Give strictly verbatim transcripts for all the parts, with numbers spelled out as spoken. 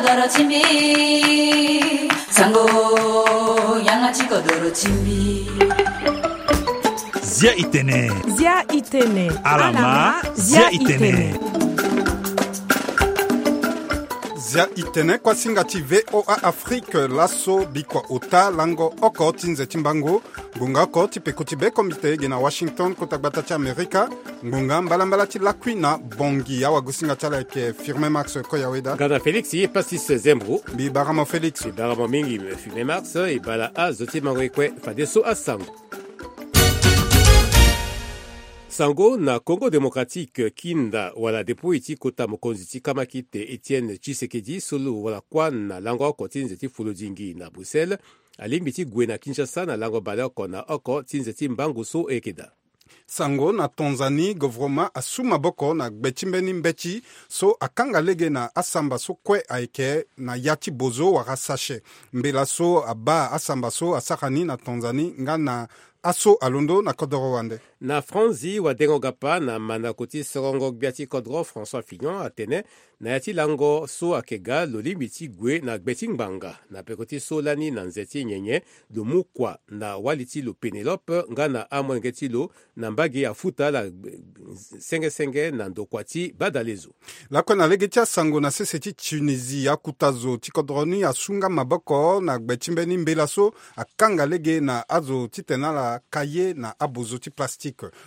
Doro ti mbi, sango, yanga ti kodoro ti mbi. Zia itene. Zia itene. Alama, zia itene. Zia itene kuasinga ti V O A Afrique, laso bikua ota lango oko ti nze ti mbango. Ngbonga oko ti peko ti be komite ge na Washington, kota gbata ti Amerika. Ngbonga mbalambala ti lakui na Bangui, awagosinga ti ala ayeke Firmin Max Koyaweda. Nga na Félix Pastis Zembro. Mbi bara mo Félix. Mbi bara mo mingi Firmin Max, e bala azo ti mango e kue fadeso asango. Sango na Congo Démocratique, kinda wala dépôt ti kota mokonzi ti kamakite Étienne Tshisekedi so lo wala kuâ na lango oko ti nze ti folodingi na Bruxelles, alingbi ti gue na Kinshasa na lango baleoko na oko ti nze ti mbangu so e yeke daa. Sango na Tanzanie, govoroma asu maboko na gbe ti mbeni mbeti so akanga lege na asamba so kue ayeke na ya ti bozo wala sachet. Mbela so abaa asamba so asara ni na Tanzanie nga na aso alondo na kodoro wande. Na Franzi, wadengo gapa na mandako ti sorongo gbia ti kodro François Fillon atene na ya ti lango so ayeke ga lo lingbi ti gue na gbe ti ngbanga na peko ti so lani na nze ti nyenye lo mu kua na wali ti lo Pénélope nga na amolenge ti lo na mbage afuta ala senge senge na ndokua ti badalezo. Lakue na lege ti asango na sese ti Tunisie, akuta zo ti kodro ni asu nga maboko na gbe ti mbeni mbela so akanga lege na azo titene ala ka ye na abozo ti plastique.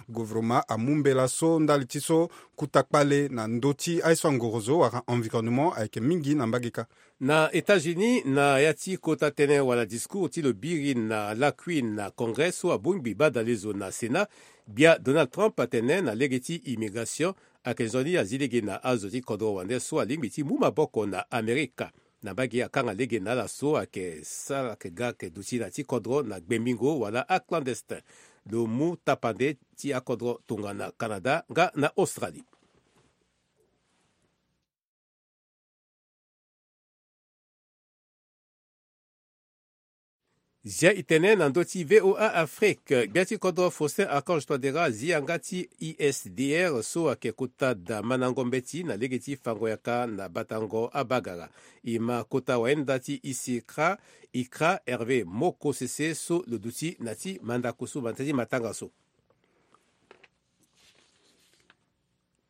Govoroma amu mbela so ndali ti so kuta kpale na ndö ti aye so angorozo wala environnement ayeke mingi na mbage kâ. Na États-Unis, na ya ti kota tënë wala discours ti lo biri na lakui na Congrès so abongbi badalezo na Sénat, gbia Donald Trump atene na lege ti immigration ayeke nzoni azi lege na azo ti kodro wande so alingbi ti mu maboko na Amerika. Na mbage akanga lege na ala so ayeke sara ayeke ga ayeke duti na ti kodro na gbengbingo wala aclandestin. Lo mu tapande ti akodro tongana Canada nga na Australie. Zia itene na ndö ti V O A Afrique. Gbia ti kodro Faustin Archange Touadéra azi yanga ti I S D R so ayeke kota da mandango mbeti na lege ti fango yaka na batango abagara. E ma kota wayenda ti I C R A, I C R A, Hervé Moko Sese so lo duti na ti mandako so, na ti matanga so.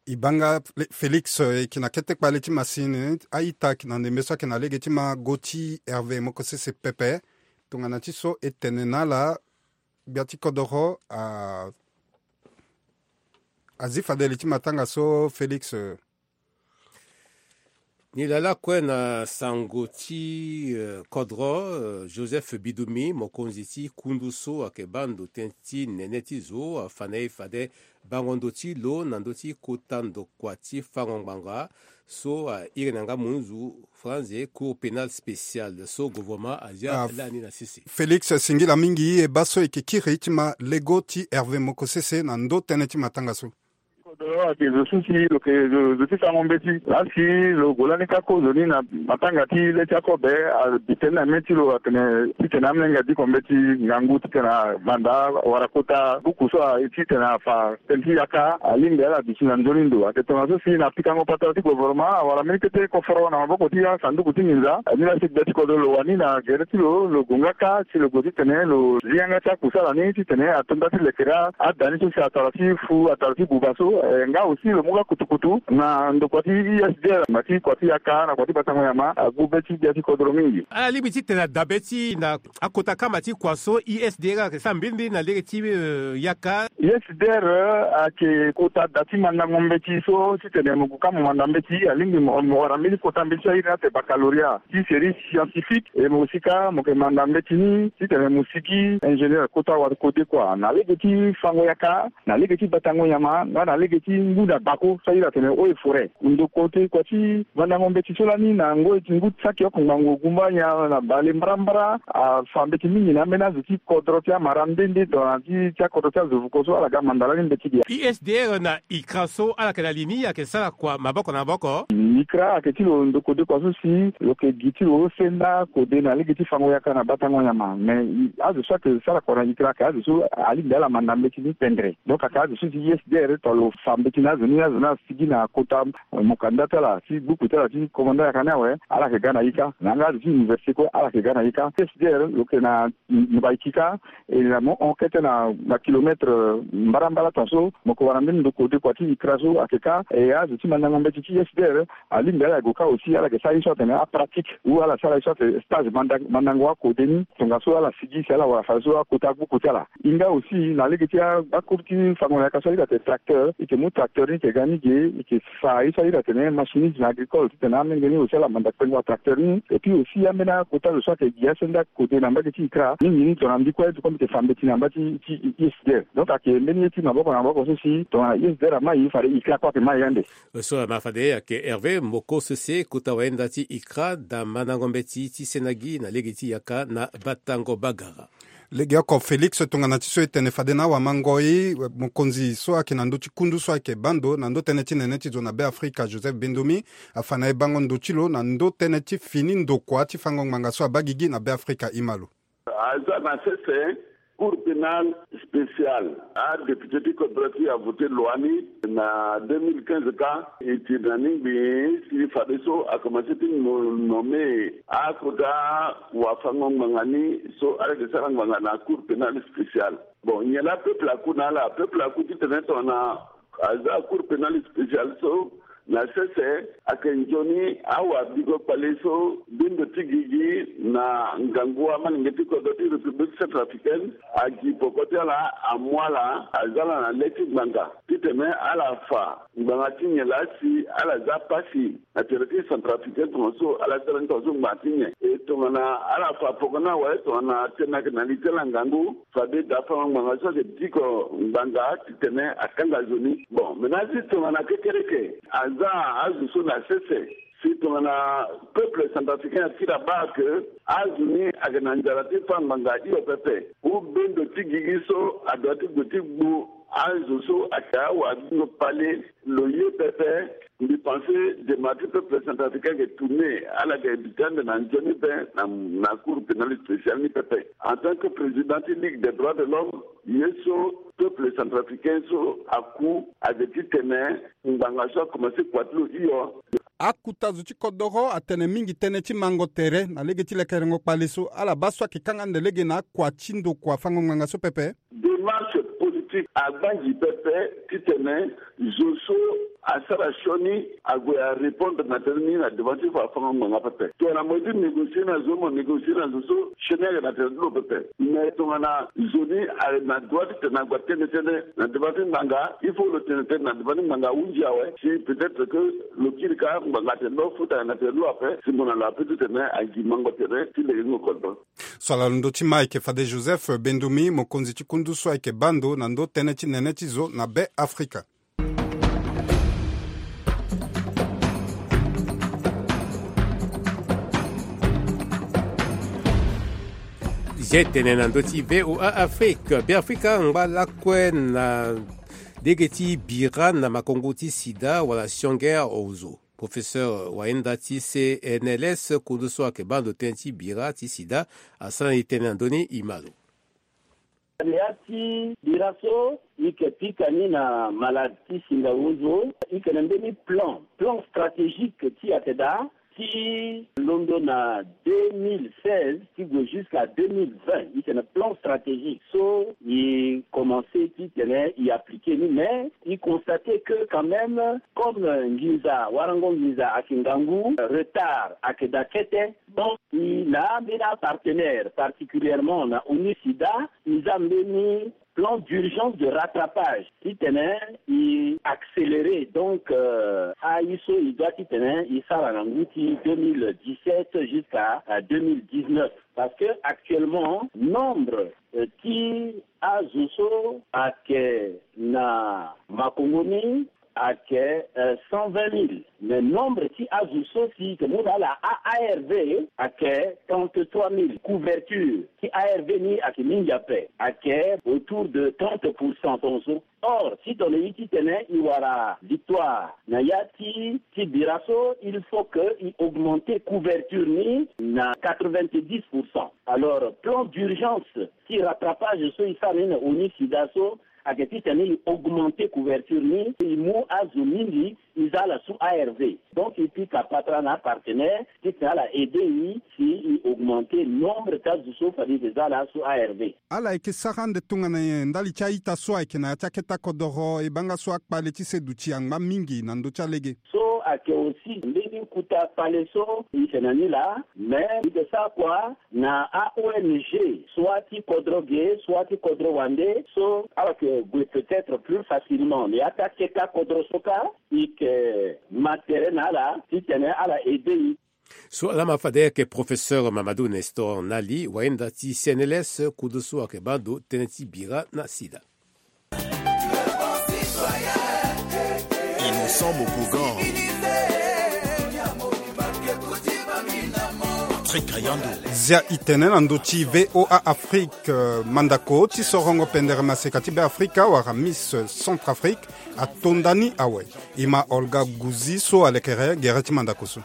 E baa nga Félix, eh, e yeke na kete kpale ti masini, a-ita ayeke na ndembe so ayeke na lege ti mango ti Hervé Moko Sese pepe. Tongana ti so e tene na ala, gbia ti kodoro a, azi fade li ti matanga so Félix, eh. Ni laa lakue na sango ti, eh, kodro, eh, Joseph Bidumi, mokonzi ti kundu so ayeke baa ndo tënë ti nene ti zo, afa na e fade bango ndo ti lo na ndö ti kota ndokua ti fango ngbanga so airi na yanga munzu franze Cour pénale spéciale so gouvernement azia lani na sese. Félix, singila mingi, e baa so e yeke kiri ti ma lego ti Hervé Moko Sese na ndö tënë ti matanga so. Kodoro ayeke zo so si lo yeke zo, zo ti sango mbeti. Laa si lo gue lani kâ kozoni na matanga ti le ti akobe, abi tënë na mê ti lo atene titene amolenge adiko mbeti ngangu titene amanda wala kota buku so a, titene afa tënë ti yaka, alingbi ala duti na nzoni ndo. Ayeke tongana so si na pikango patara ti gouvernement awara mbeni kete koforo na maboko ti asanduku ti nginza. Ni laa si gbia ti kodro lo wani na gere ti lo, lo gue nga kâ si lo gue titene lo zi yanga ti akusala ni titene ato nda ti lekere ada ni so si atara ti fu, atara ti buba so, eh, nga aussi lo mu nga kutukutu na ndokua ti I S D R, na ti kua ti yaka, na kua ti batango nyama, agu be ti gbia ti kodro mingi. Ala lingbi titene adabe ti na akota kama ti kua so I S D R ayeke sara mbirimbiri na lege ti, eh, yaka. I S D R ayeke kota da ti mandango mbeti so titene mo gue kâ mo manda mbeti, alingbi mo, mo wara mbeni kota mbeti so airi ni atene baccalauréat ti série scientifique, e mo sika mo yeke manda mbeti ni titene mo sigi ingénieur kota wala kodekua na lege ti fango yaka, na lege ti batango nyama nga na lege ti ngu na gbako so airi atene eaux et forêts. Ndokua ti kua ti mandango mbeti so lani na ngoi ti ngu ti saki oko ngbangbo gumba nya na bale mbarambara afa mbeti mingi na ambeni azo ti kodro ti amara nde nde tongana ti, ti akodro ti azo vuko so ala ga manda lani mbeti ge. I S D R na I C R A so ala yeke na li ni ayeke sara kua maboko na maboko. Ikra ayeke ti lo ndokode kua so si lo yeke gi ti lo senda kode na lege ti fango yaka na batango nyama. Mais azo so ayeke sara kua na ikra ayeke azo so alingbi ala manda mbeti ni pendre. Donc ayeke azo so si I S D R tongana lo fa mbeti na azo ni, azo ni asigi na kota mokanda ti ala ti gbuku ti ala ti komanda yaka ni awe, ala yeke ga na ika. Na yanga azo ti université kue ala yeke ga na ika. I S D R lo yeke na Mbaikika, e na mo hon kete na, na kilomètre mbarambara tongaso mo yeke wara mbeni ndokode kua ti ikra so ayeke ka, e azo ti mandango mbeti ti I S D R alingbi ala gue ka aussi, ala yeke sara ye so atene apratique ou ala sara ye so atene stage manda-, mandango akode ni, tongaso ala sigi si ala wara fade so akota gbuku ti ala. Hinga aussi na lege ti a-, akour ti fango na yaka so ahiri atene tracteur, e yeke mu tracteur ni e yeke ga ni ge, e yeke fa ye so ahiri atene machinisme agricole titene amenge ni aussi ala manda kpengo tracteur ni. Et puis aussi ambeni akota zo so ayeke gi asenda kode na mbage ti ikra mingi ni tongana mbi kue, mbi kue mbi yeke fa mbeti na mba ti, ti I S D R. Donc ayeke mbeni ye ti maboko na maboko so si tongana I S D R amai, fade ikra kue ayeke mai ande. So ama fade ayeke Hervé Moko Sese, kota wayenda ti ikra, da mandango mbeti ti senda gi na lege ti yaka na batango bagara. Legeoko Félix, tongana ti so e tene fade na awamango-e, mokonzi so ayeke na ndö ti kundu so ayeke baa ndo na ndö tënë ti nene ti zo na Beafrika, Joseph Bendomi, afa na e bango ndo ti lo na ndö tënë ti fini ndokua ti fango ngbanga so abaa gigi na Beafrika, e ma lo. Aza na sese Cour pénale spéciale. Adéputé ti kodro ti e avoté loi ni na deux mille quinze ka, e tiri na ni ngbii si fadeso akomanse ti no-, nommé akota wafango ngbanga ni so ala yeke sara ngbanga na Cour pénale spéciale. Bon, nyen laa peuple aku na ala? Peuple aku titene tongana aza Cour pénale spéciale so na sese ayeke nzoni awabingo kpale so bendo ti gigi na ngangu amalenge ti kodro ti République centrafricaine agi poko ti ala amu ala aza ala na le ti ngbanga titene ala fa ngbanga ti nyen laa si ala za pasi na tere ti centrafricain tongaso ala sara ni tongaso ngbanga ti nyen. E tongana ala fa poko ni awe tongana tënë ayeke na li ti ala ngangu, fade dafango ngbanga so ayeke diko ngbanga titene akanga zo ni. Bon, maintenant si tongana kekereke aza azo so na sese, si tongana peuple centrafricain akiri abaa ke azo ni ayeke na nzara ti fa ngbanga hio pepe, ou bendo ti gigi so adoit ti gue ti gbu azo so ayeke awabingo kpale lo ye pepe, mbi pense démarche ti peuple centrafricain ayeke tourné, ala yeke duti ande na nzoni pe na, na Cour pénale spéciale ni pepe. En tant que président ti Ligue des droits de l'homme, ye so peuple centrafricain so aku ayeke titene ngbanga so akomanse kua ti lo hio. Akota zo ti kodoro atene mingi tënë ti mango tere na lege ti lekerengo kpale so ala baa so ayeke kanga ande lege na akua ti ndokua fango ngbanga so pepe. Démarche politique agbangi pepe titene zo so asara sioni ague arépondre na tere ni na devant ti fa fango ngbanga pepe. Tongana mo ye ti négocier na zo, mo négocier na zo so sioni ayeke na tere ti lo pepe. Mais tongana zo ni ayeke na droit titene ague atene tënë na devant ti ngbanga, il faut lo tene tënë na devant ti ngbanga ahunzi awe. Si peut-être que lo kiri ka ngbanga atene lo foti ayeke na tere ti lo ape, si mo na lo ape titene agi mango tere ti lekengo kodro. So ala londo ti ma ayeke fade Joseph Bendomi, mokonzi ti kundu so ayeke baa ndo na ndö tënë ti nene ti zo na Be Afrika. Zia tene na ndö ti V O A Afrique, Beafrika angba lakue na lege ti bira na makongo ti sida wala siongere ozo. Professeur wayenda ti C N L S, kundu so ayeke baa ndo tënë ti bira ti sida, asara ni tënë na ndö ni, e ma lo. Ya ti bira so e yeke pika ni na malade ti singa ozo, e yeke na mbeni plan, plan stratégique ti ayeke daa ti londo na deux mille seize ti gue jusqu'à deux mille vingt, e tene plan stratégique so e commencé titene e appliqué ni, mais e constaté que quand même, comme nginza, warango nginza ayeke ngangu, retard ayeke daa kete. Donc e na ambeni apartenaire, particulièrement na ONUSIDA, e za mbeni plan d'urgence de rattrapage titene e accélérer donc, euh, aye so e doit titene e sara na ngu ti deux mille dix-sept jusqu'à, euh, deux mille dix-neuf, parce que actuellement nombre, euh, ti azo so ayeke na makongo ni Ayeke cent vingt mille. Mais nombre ti azo so si yeke mu na ala a-arv ayeke trente-trois mille. Couverture ti arv ni ayeke mingi ape, ayeke autour de trente pour cent tongaso. Or si tongana i ti tene i wara victoire na ya ti ti bira so, il faut que i augmenter couverture ni na quatre-vingt-dix pour cent. Alors plan d'urgence ti rattrapage so i sara ni na oni sida so, ayeke ti tene i augmenter couverture ni, i mu azo mingi i za ala sous arv. Donc i pika patara na apartenaire ti tene ala aider i si i augmenter nombre ti azo so fade i yeke za ala sous arv. Ala yeke sara ande tongana nyen ndali ti a-ita so ayeke na ya ti akete akodoro e baa nga so akpale ti seduti angba mingi na ndö ti alege? So ayeke aussi mbeni kota kpale so i yeke na ni laa, mais i yeke sara kua na a-ong soit ti kodro ge soit ti kodro wande so ala yeke gue peut-être plus facilement na ya ti akete akodro so kâ. I yeke ma tere na ala ti tene ala aider i. So ala ma fade ayeke professeur Mamadou Nestor Nali, wayenda ti C N L S, kudu so ayeke baa ndo tënë ti bira na sida. Innocent Mokogan. Patrick Kayando. Zia i tene na ndö ti V O A Afrique, euh, mandako ti sorongo pendere maseka ti Be Afrika wala Miss Centrafrique ato nda ni awe. E ma Olga Gouzi so alekere gere ti mandako so.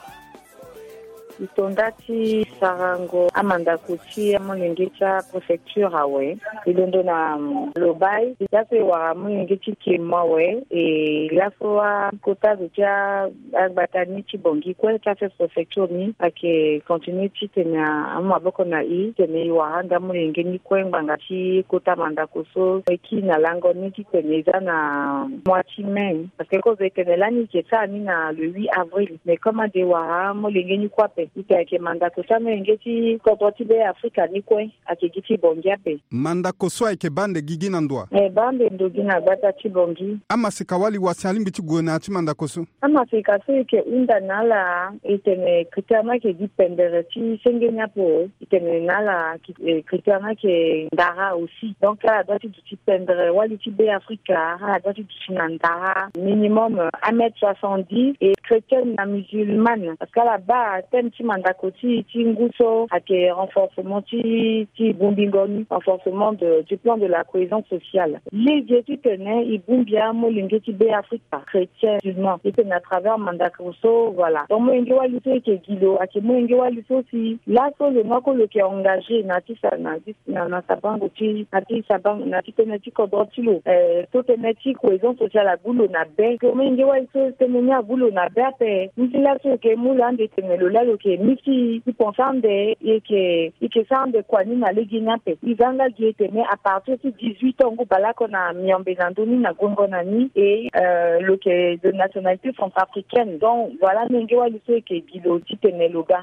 E to nda ti sarango amandako ti amolenge ti apréfecture awe. E londo na, mm, Lobaye. E laso e wara amolenge ti Kemu awe. E laso akota zo ti a, agbata ni ti Bangui kue ti affaire préfecture ni ayeke continuer ti tene amaboko na e ti tene e wara ande amolenge ni kue ngbanga ti kota mandako so e kiri na lango ni ti tene e za na mois ti mai. Parce que kozo e tene lani e yeke sara ni na le huit avril. Mais comme ande e wara amolenge ni kue ape, e tene ayeke mandako ti amolenge ti kodro ti Be Afrika ni kue, ayeke gi ti Bangui ape. Mandako so ayeke baa ande gigi na ndo wa? E baa ande ndo gi na gbata ti Bangui. Amaseka wali wa si alingbi ti gue na ya ti mandako so? Amaseka so e yeke hunda na ala, e tene critère ni ayeke gi pendere ti senge ni ape. E tene na ala, eh, critère ni ayeke ndara aussi. Donc ala doit ti duti pendere wali ti Be Afrika, ala doit ti duti na ndara minimum, euh, un mètre soixante-dix, et chrétienne na musulmane. Parce que ala baa thème ti mandako ti, ti ngu so ayeke renforcement ti, ti bongbingo ni, renforcement de, du plan de la cohésion sociale. Lege ti tene e bongbi amolenge ti Be Afrika chrétien musulman, e tene à travers mandako so, voilà. Donc molenge wali so e yeke gi lo ayeke molenge wali so si laso lo ni oko lo yeke engagé na ti sa, na ti, na, na sabango ti, na ti sabango, na ti tënë ti kodro ti lo, eh, to tënë ti cohésion sociale agu lo na be. Ke molenge wali so tënë ni agu lo na be ape. Nzila so e yeke mu lo ande tene lo laa lo yeke misi ti pense ande, e yeke, e yeke sara ande kua ni na lege ni ape. E za nga gi e tene à partir ti dix-huit ans ngu baleoko na miombe na ndö ni na gongo na ni, e, euh, lo yeke de nationalité centrafricaine. Donc voilà, molenge wali so e yeke gi lo ti tene lo ga.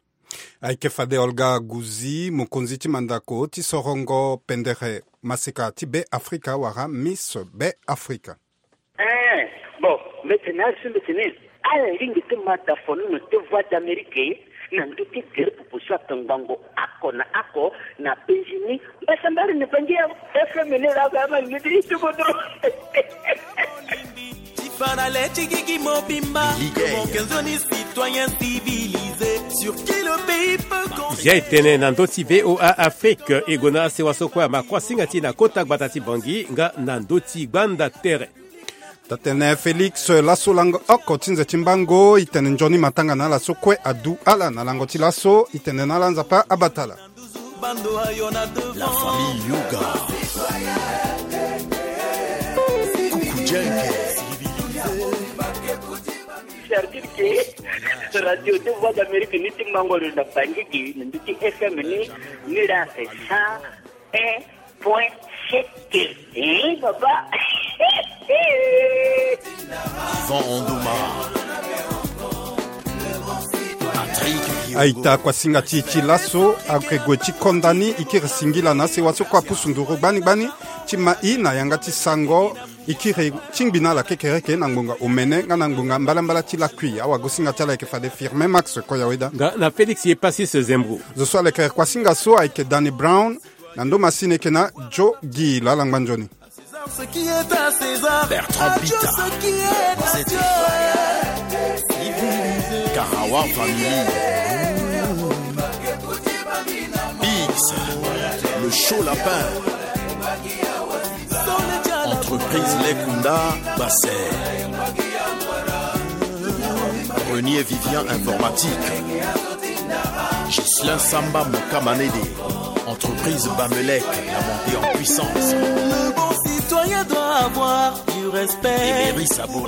Ayeke fade Olga Gouzi, mokonzi ti mandako ti sorongo pendere maseka ti Be Afrika wala Miss Be Afrika. Eh, bon, mbi tene azo so mbi tene ala lingbi ti ma dafonono ti Voix d'Amérique na ndö ti gere popo so akangbango oko na oko na penzi ni. Mbasambara na Bangui awe. F M ni laa azo ama lingbi ti ti kodro. Ti fara le ti gigi mobimba. Leader. Mokonzi ni citoyen civilisé. Sur qui le pays peut compter. Zia e tene na ndö ti V O A Afrique, e gue na asewa so kue ama kuasinga ti e na kota gbata ti Bangui nga na ndö ti gbanda tere. Taa-tënë Félix, laso lango oko ti nze ti mbango, e tene nzoni matanga na ala so kue adu ala na lango ti laso, e tene na ala Nzapa abata ala. La famille Yoga. Kuku Jenke. C'est-à-dire que Radio de Voix d'Amérique ni ti mbango lo na Bangui gi, na ndö ti F M ni, ni laa c'est cent un point sept. Eh, papa. Yvan Ondoma. Patrick. A-ita, kuasinga ti e ti laso ayeke gue ti konda ni, e kiri singila na asewa so kue apusu nduru gbani gbani ti ma e na yanga ti sango. E kiri tingbi na ala kekereke na ngbonga omene nga na ngbonga mbalambala ti lakui. Awagosinga ti ala ayeke fade Firmin Max Koyaweda. Nga na Félix Yepasis Zembro. Zo so alekere kuasinga so ayeke Danny Brown. Na ndo masini eke na Joe Guy Lalangba Nzoni. Bertrand Bita, Karawa Family, Biggs, le chaud lapin, entreprise Lekunda, Basset, Renier Vivian Informatique, Ghislain Samba Mokamanede, entreprise Bamelec, la montée en puissance. Le bon citoyen doit avoir du respect. Emery Saboro,